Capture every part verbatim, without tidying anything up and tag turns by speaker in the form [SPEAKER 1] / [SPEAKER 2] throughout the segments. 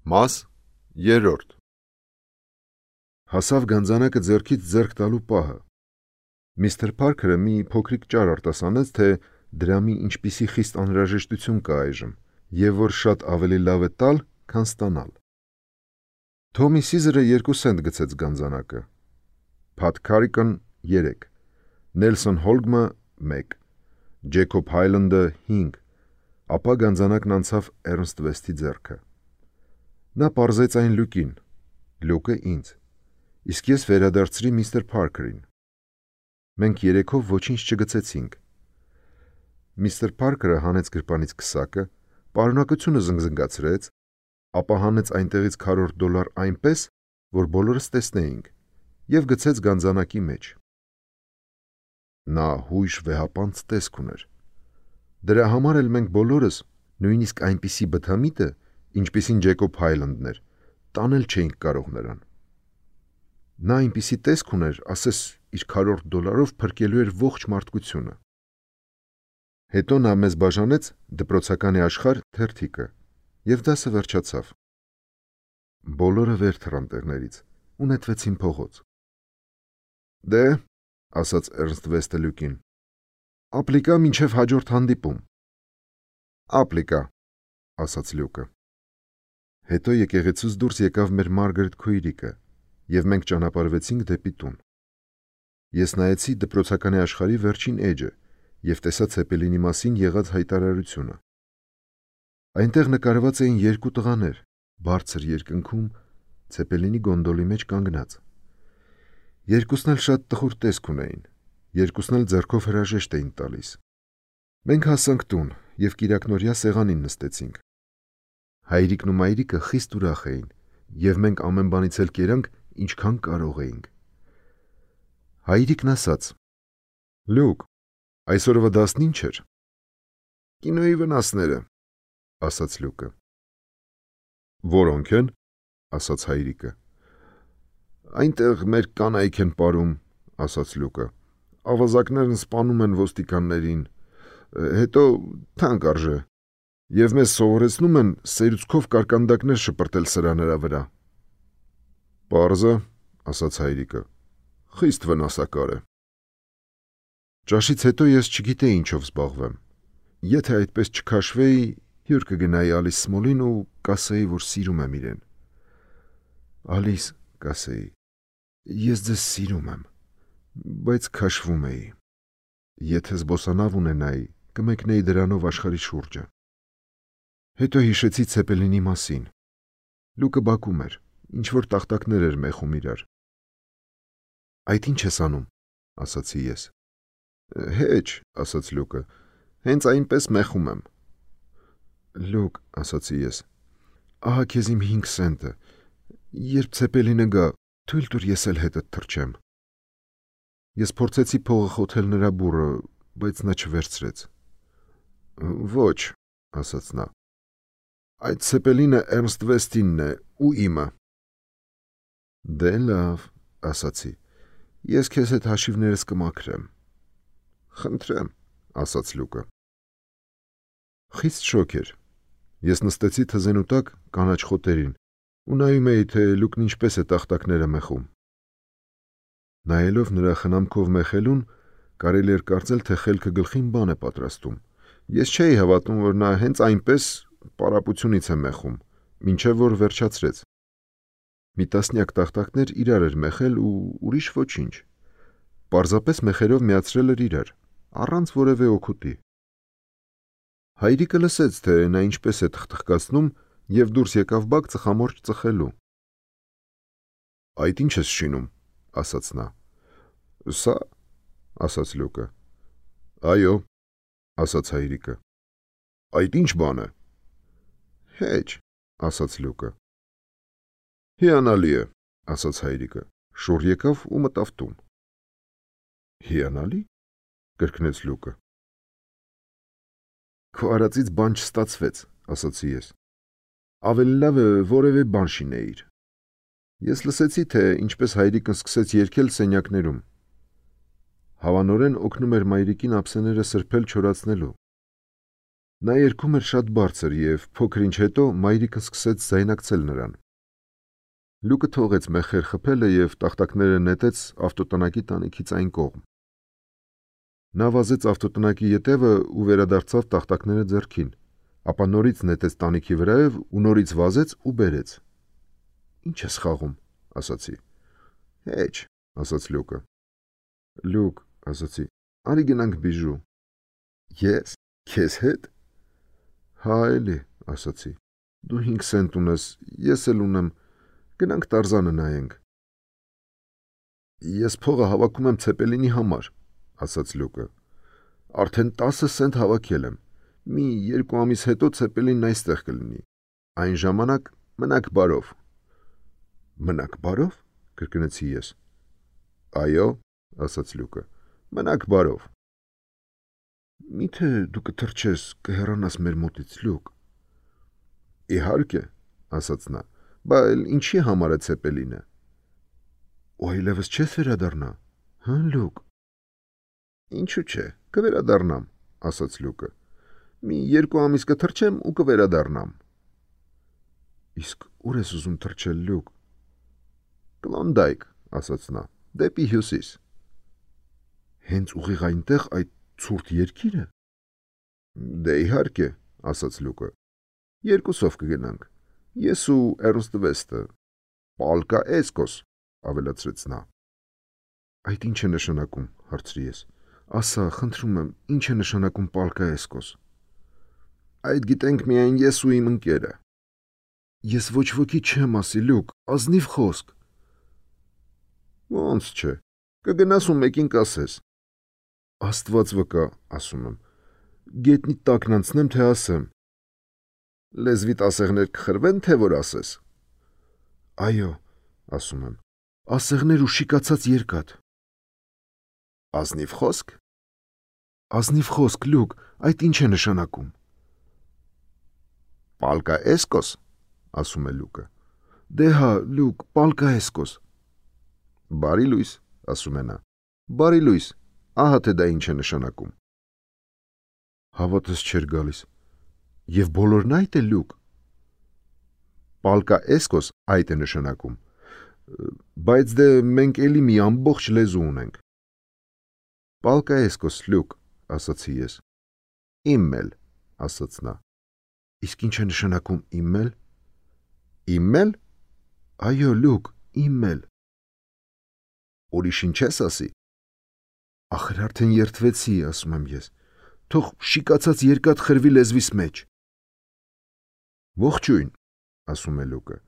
[SPEAKER 1] Մաս երրորդ Հասավ գանձանակը ձեռքից ձեռք տալու պահը։ Միստր Փարքերը մի փոքրիկ ճար արտասանեց, թե դրա մի ինչպիսի խիստ անհրաժեշտություն կա այժմ, եւ որ շատ ավելի լավ է տալ, քան ստանալ։ Թոմի Սիզերը երկու սենտ գցեց գանձանակը, Փաթ Քարիկն երեք, Նելսոն Հոլգմը մեկ, Ջեյքոբ Հայլանդը հինգ, ապա գանձանակն անցավ Էրնստ Վեսթի ձեռքը։ Նա պարզեց այն Լյուկին, Լյուկը ինձ, իսկ ես վերադարձրի միստր Փարքերին։ Մենք երեքով ոչինչ չգցեցինք։ Միստր Փարքերը հանեց գրպանից քսակը, պարունակությունը զնգզնգացրեց, ապա հանեց այնտեղից քառորդ դոլար այնպես, որ բոլորս տեսնեինք, և գցեց գանձանակի մեջ։ Նա հույժ վեհապանծ տեսք ուներ։ Դրա համար էլ մենք բոլորս, նույնիսկ այնպիսի բթամիտը, ինչպիսին Ջեյքոբ Հայլանդն էր, տանել չէինք կարող նրան։ Նա այնպիսի տեսք ուներ, ասես իր քառորդ դոլարով փրկելու էր ողջ մարդկությունը։ Հետո նա մեզ բաժանեց դպրոցականի աշխարհ թերթիկը, և դասը վերջացավ։ Բոլորը վեր թռան տեղներից ու նետվեցին փողոց։ Դե, ասաց Էրնստ Վեսթը Լյուկին, ապլիկա մինչև հաջորդ հանդիպում։ Ապլիկա, ասաց Լյուկը։ Հետո եկեղեցուց դուրս եկավ մեր Մարգարետ քույրիկը, և մենք ճանապարհվեցինք դեպի տուն։ Ես նայեցի դպրոցականի աշխարհի վերջին էջը և տեսա Ցեպելինի մասին եղած հայտարարությունը։ Այնտեղ նկարված էին երկու տղաներ, բարձր երկնքում, Ցեպելինի գոնդոլի մեջ կանգնած։ Երկուսն էլ շատ տխուր տեսք ունեին, երկուսն էլ ձեռքով հրաժեշտ էին տալիս։ Մենք հասանք տուն և կիրակնօրյա սեղանին նստեցինք։ Հայրիկն ու մայրիկը խիստ ուրախ էին, և մենք ամեն բանից էլ կերանք, ինչքան կարող էինք։ Հայրիկն ասաց. Լյուկ, այսօրվա դասն ինչ էր։ Կինոյի վնասները, ասաց Լյուկը։ Որոնք են, ասաց հայրիկը։ Այնտեղ մեր կանայք են պարում, ասաց Լյուկը, ավազակներն սպանում են ոստիկաններին, հետո թանկ արժե, և մեզ սովորեցնում են սերուցքով կարկանդակներ շպրտել սրանera վրա։ Պարզը, ասաց հայրիկը, խիստ վնասակար է։ Ճաշից հետո ես չգիտեի ինչով զբաղվեմ։ Եթե այդպես չքաշվեի, հյուր կգնայի Ալիս Սմոլին ու կասեի, որ սիրում եմ իրեն։ Ալիս, կասեի, ես ձեզ սիրում եմ, բայց քաշվում էի։ Եթե զբոսանավ ունենայի, կմեկնեի դրանով աշխարհի շուրջը։ Հետո հիշեցի Ցեպելինի մասին։ Լյուկը բակում էր, ինչ-որ տախտակներ էր մեխում իրար։ Այդ ինչ ես անում, ասացի ես։ Հեչ, ասաց Լյուկը, հենց այնպես մեխում եմ։ Լյուկ, ասացի ես, ահա քեզ իմ հինգ սենտը, երբ Ցեպելինը գա, թույլ տուր ես էլ հետդ թռչեմ։ Ես փորձեցի փողը խոթել նրա բուռը, բայց նա չվերցրեց։ Ոչ, ասաց նա, այդ Ցեպելինը Էրնստ Վեսթինն է ու իմը։ Դե լավ, ասացի, ես քեզ հետ հաշիվներս կմաքրեմ։ Խնդրեմ, ասաց Լյուկը։ Խիստ շոգ էր։ Ես նստեցի թզենու տակ կանաչ խոտերին ու նայում էի, թե Լյուկն ինչպես է տախտակները մեխում։ Նայելով նրա խնամքով մեխելուն, կարելի էր կարծել, թե խելքը գլխին բան է պատրաստում։ Ես չէի հավատում, որ նա հենց այնպես պարապությունից է մեխում, մինչև որ վերջացրեց։ Մի տասնյակ տախտակներ իրար էր մեխել ու ուրիշ ոչինչ։ Պարզապես մեխերով միացրել էր իրար, առանց որևէ օգուտի։ Հայրիկը լսեց, թե նա ինչպես է թխթխկացնում և դուրս եկավ բակ ծխամորճ ծխելու։ Այդ ինչ ես շինում, ասաց նա։ Սա, ասաց Լյուկը։ Այո, ասաց հայրիկը։ Այդ ինչ բան է։ Հեչ, ասաց Լյուկը։ Հիանալի է, ասաց հայրիկը, շուռ եկավ ու մտավ տուն։ Հիանալի, կրկնեց Լյուկը։ Քո արածից բան չստացվեց, ասացի ես։ Ավելի լավ է որևէ բան շինեիր։ Ես լսեցի, թե ինչպես հայրիկն սկսեց երգել սենյակներում։ Հավանորեն օգնում էր մայրիկին ափսեները սրբել չորացնելու։ Նա երգում էր շատ բարձր և փոքր ինչ հետո մայրիկը սկսեց ձայնակցել նրան։ Լուկը թողեց մեխեր խփելը և տախտակները նետեց ավտոտնակի տանիքից այն կողմ։ Նա վազեց ավտոտնակի ետևը ու վերադարձավ տախտակները ձեռքին, ապա նորից նետեց տանիքի վրայով ու նորից վազեց ու բերեց։ «Ինչ ես խաղում», ասացի։ «Հեչ», ասաց Լուկը։ «Լուկ», ասացի, «արի գնանք բիժու»։ «Ես, քեզ հետ»։ «Հա էլի», ասացի, «դու հինգ սենտ ունես, ես էլ ունեմ, գնանք Տարզանը նայենք»։ «Ես փողը հավաքում եմ Ցեպելինի համար», ասաց Լուկը։ «Արդեն տասը սենտ հավաքել եմ, մի երկու ամիս հետո Ցեպելինն այստեղ կլինի, այն ժամանակ մնաք բարով»։ «Մնաք բարով», կրկնեցի ես։ «Այո», ասաց Լուկը, «մնաք բարով»։ «Միթե դու կթրջես, կհեռանաս մեր մոտից, Լուկ»։ «Իհարկե», ասաց նա, «բա էլ ինչի համար է Ցեպելինը»։ «Ու այլևս չես վերադառնա, հը, Լուկ»։ «Ինչու՞ չէ, կվերադառնամ», ասաց Լուկը։ «Մի երկու ամիս կթրջեմ ու կվերադառնամ»։ «Իսկ ուր ես ուզում թրջել, Լուկ»։ «Կլոնդայք», ասաց նա, «դեպի հյուսիս»։ «Հենց ուղիղ այնտեղ, այդ ցուրտ երկիրը»։ «Դե իհարկե», ասաց Լուկը, «երկուսով կգնանք, ես ու Էրնստ Վեստը, պալկա էսկոս», ավելացրեց նա։ «Այդ ինչ է նշանակում», հարցրի ես։ «Ասա, խնդրում եմ, ինչ է նշանակում պալկա էսկոս»։ «Այդ գիտենք միայն ես ու իմ ընկերը»։ «Ես ոչ ոքի չեմ ասի, Լուկ, ազնիվ խոսք»։ «Ոնց չէ, կգնաս ու մեկին կասես»։ «Աստված վկա, ասում եմ, գետնի տակն անցնեմ, թե ասեմ»։ «Լեզվիդ ասեղներ կխրվեն, թե որ ասես»։ «Այո», ասում եմ, «ասեղներ ու շիկացած երկաթ»։ «Ազնիվ խոսք»։ «Ազնիվ խոսք, Լուկ, այդ ինչ է նշանակում»։ «Պալկա էսկոս», ասում է Լուկը։ «Դե հա, Լուկ, պալկա էսկոս»։ «Բարի լույս», ասում է նա, «բարի լույս, ահա թե դա ինչ է նշանակում»։ Հավատս չէր գալիս։ Եվ բոլորն այդ է, Լուկ։ «Պալկա էսկոս» այդ է նշանակում, բայց դե մենք էլի մի ամբողջ լեզու ունենք։ «Պալկա էսկոս, Լուկ», ասացի ես։ «Իմն էլ», ասաց նա։ «Իսկ ինչ է նշանակում իմն էլ»։ «Իմն էլ»։ «Այո, Լուկ, իմն էլ»։ «Ուրիշին չես ասի»։ «Ախր արդեն երդվեցի, ասում եմ ես, թող շիկացած երկաթ խրվի լեզվիս մեջ»։ «Ողջույն», ասում է Լուկը։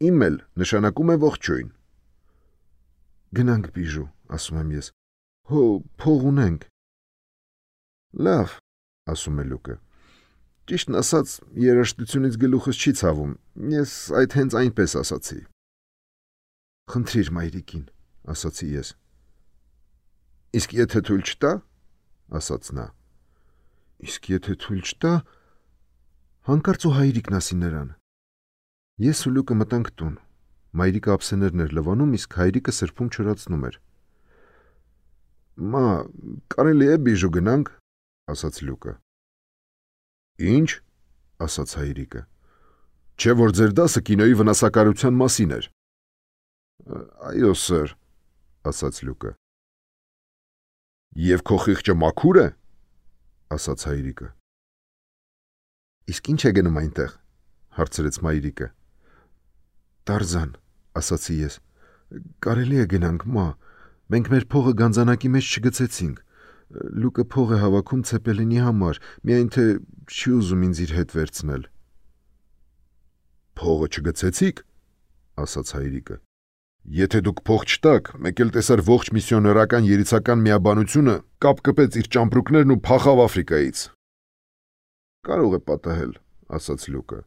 [SPEAKER 1] «Իմն էլ» նշանակում է ողջույն։ «Գնանք բիժու», ասում եմ ես, «հո, փող ունենք»։ «Լավ», ասում է Լուկը, «ճիշտն ասած, երաժշտությունից գլուխս չի ցավում, ես այդ հենց այնպես ասացի»։ «Խնդրիր մայրիկին», ասացի ես։ «Իսկ եթե թույլ չտա»։ ասաց նա։ «Իսկ եթե թույլ չտա»։ Հանկարծ ու հայրիկն ասի նրան։ Ես ու Լուկը մտանք տուն։ Մայրիկը ափսեներն էր լվանում, իսկ հայրիկը սրբում չորացնում էր։ «Մա, կարելի է բիժու գնանք», ասաց Լուկը։ «Ինչ», ասաց հայրիկը, «չէ՞ որ ձեր դասը կինոյի վնասակարության մասին էր»։ «Այո, սըր», ասաց Լուկը։ «Եվ քո խիղճը մաքուր է», ասաց հայրիկը։ «Իսկ ինչ է գնում այնտեղ», հարցրեց մայրիկը։ «Տարզան», ասացի ես, «կարելի է գնանք, մա, մենք մեր փողը գանձանակի մեջ չգցեցինք, Լուկը փող է հավաքում Ցեպելինի համար, միայն թե չի ուզում ինձ իր հետ վերցնել»։ «Փողը չգցեցիք», ասաց հայրիկը։ «Եթե դուք փող չտաք, մեկ էլ տեսար ողջ միսիոներական երիցական միաբանությունը կապ կպեց իր ճամպրուկներն ու փախավ Աֆրիկայից»։ «Կարող է պատահել», ասաց Լուկը,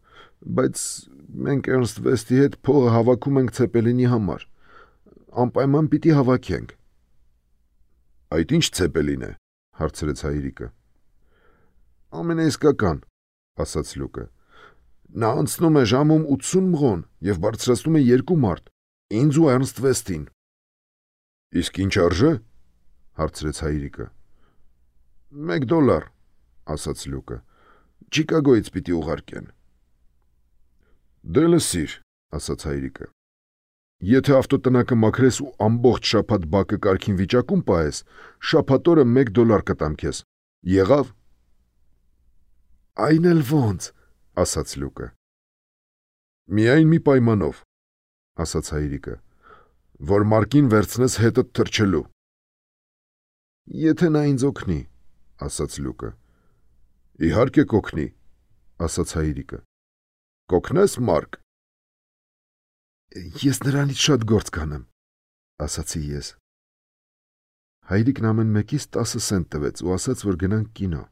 [SPEAKER 1] «բայց մենք Էրնստ Վեստի հետ փողը հավաքում ենք Ցեպելինի համար, անպայման պիտի հավաքենք»։ «Այդ ինչ Ցեպելին է», հարցրեց հայրիկը։ «Ամենաիսկական», ասաց Լուկը։ «Նա անցնում է ժամում ութսուն մղոն և բարձրացնում է երկու մարդ, ինձ ու Էրնստ Վեստին»։ «Իսկ ինչ արժե», հարցրեց հայրիկը։ «Մեկ դոլար», ասաց Լուկը, Չիկագոյից պիտի ուղարկեն։ Դե լսիր, ասաց հայրիկը։ Եթե ավտոտնակը մաքրես ու ամբողջ շաբաթ բակը կարգին վիճակում պահես, շաբաթ օրը մեկ դոլար կտամ քեզ։ Եղավ։ Այն էլ ոնց, ասաց Լուկը։ Միայն մի պայմանով, ասաց հայրիկը, որ Մարկին վերցնես հետդ թրջելու։ Եթե նա ինձ օգնի, ասաց Լուկը։ Իհարկե կօգնի, ասաց հայրիկը։ Կօգնես Մարկ։ Ես նրանից շատ գործ կանեմ, ասացի ես։ Հայրիկն ամեն մեկից տասը սենտ տվեց ու ասաց, որ գնանք կինո։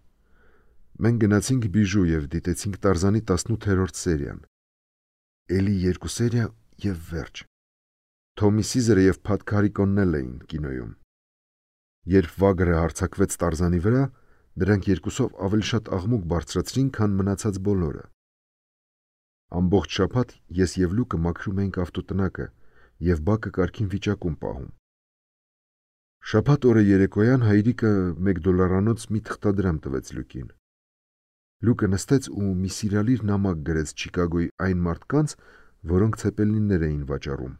[SPEAKER 1] Մենք գնացինք Բիժու և դիտեցինք Տարզանի տասնութերորդ սերիան։ Էլի երկու սերիա և վերջ։ Թոմի Սիզերը և Փաթ Քարիկոնն էլ էին կինոյում։ Երբ Վագրը հարձակվեց Տարզանի վրա, դրանք երկուսով ավելի շատ աղմուկ բարձրացրին, քան մնացած բոլորը։ Ամբողջ շաբաթ ես և Լուկը մաքրում էինք ավտոտնակը և բակը կարգին վիճակում պահում։ Շաբաթ օրը երեկոյան հայրիկը մեկ դոլարանոց մի թղթադրամ տվեց Լուկին։ Լուկը նստեց ու մի սիրալիր նամակ գրեց Չիկագոյի այն մարդկանց, որոնք ցեպելիններ էին վաճառում։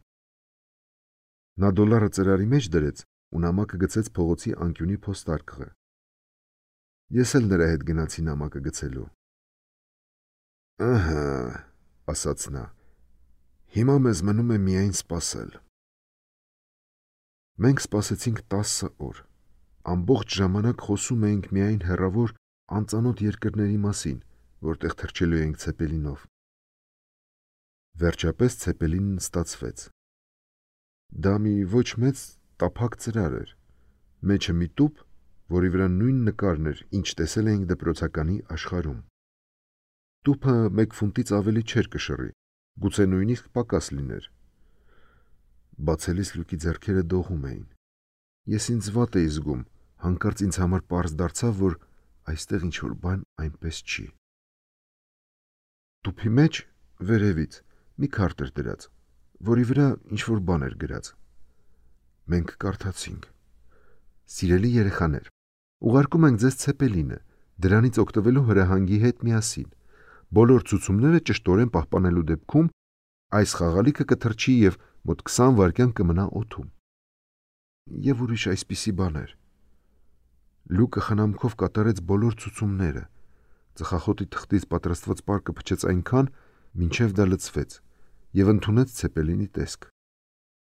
[SPEAKER 1] Նա դոլարը ծրարի մեջ դրեց ու նամակը գցեց փողոցի անկյունի փոստարկղը։ Ես էլ նրա հետ գնացի նամակը գցելու։ Ահա, ասաց նա, հիմա մեզ մնում է միայն սպասել։ Մենք սպասեցինք տասը օր։ Ամբողջ ժամանակ խոսում էինք միայն հեռավոր անծանոթ երկրների մասին, որտեղ թռչելու էինք ցեպելինով։ Վերջապես ցեպելինն ստացվեց։ Դա մի ոչ մեծ տափակ ծրար էր, մեջը մի տուփ, որի վրա նույն նկարն էր, ինչ տեսել էինք դպրոցականի աշխարհում։ Տուփը մեկ ֆունտից ավելի չէր կշռի, գուցե նույնիսկ պակաս լիներ։ Բացելիս Լուկի ձեռքերը դողում էին։ Ես ինձ վատ էի զգում, հանկարծ ինձ համար պարզ դարձավ, որ այստեղ ինչ-որ բան այնպես չի։ Տուփի մեջ, վերևից, մի քարտ էր դրած, որի վրա ինչ-որ բան էր գրած։ Մենք կարդացինք. Սիրելի երեխաներ, ուղարկում ենք ձեզ ցեպելինը, դրանից օգտվելու հրահանգի հետ միասին։ Բոլոր ցուցումները ճշտորեն պահպանելու դեպքում այս խաղալիքը կթռչի և մոտ քսան վայրկյան կմնա օդում։ Եվ ուրիշ այսպիսի բաներ։ Լուկը խնամքով կատարեց բոլոր ցուցումները։ Ծխախոտի թղթից պատրաստված պարկը փչեց այնքան, մինչև դա լցվեց, և ընդունեց ցեպելինի տեսք։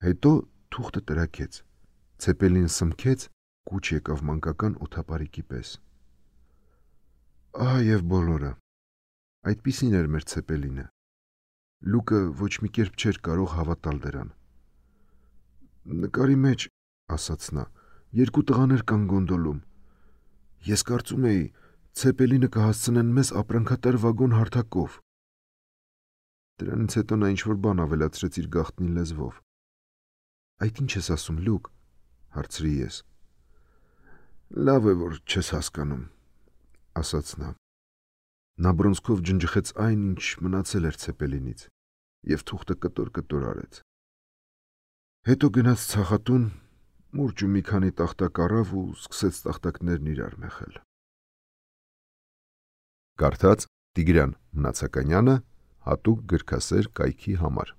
[SPEAKER 1] Հետո թուղթը տրաքեց։ Ցեպելինը սմքեց, կուչ եկավ մանկական օդապարիկի պես։ Ահա և բոլորը։ Այդպիսին էր մեր ցեպելինը։ Լուկը ոչ մի կերպ չէր կարող հավատալ դրան։ Նկարի մեջ, ասաց նա, երկու տղաներ կան գոնդոլում։ Ես կարծում էի, ցեպելինը կհասցնեն մեզ ապրանքատար վագոն հարթակով։ Դրանից հետո նա ինչ-որ բան ավելացրեց իր գաղտնի լեզվով։ Այդ ինչ ես ասում, Լուկ, հարցրի ես։ Լավ է, որ չես հասկանում, ասաց նա։ Նա բռունցքով ջնջխեց այն, ինչ մնացել էր ցեպելինից, և թուղթը կտոր-կտոր արեց։ Հետո գնաց ցախատուն, մուրճ ու մի քանի տախտակ առավ ու սկսեց տախտակներն իրար մեխել։ Կարդաց Տիգրան Մնացականյանը, հատուկ գրքասեր կայքի համար։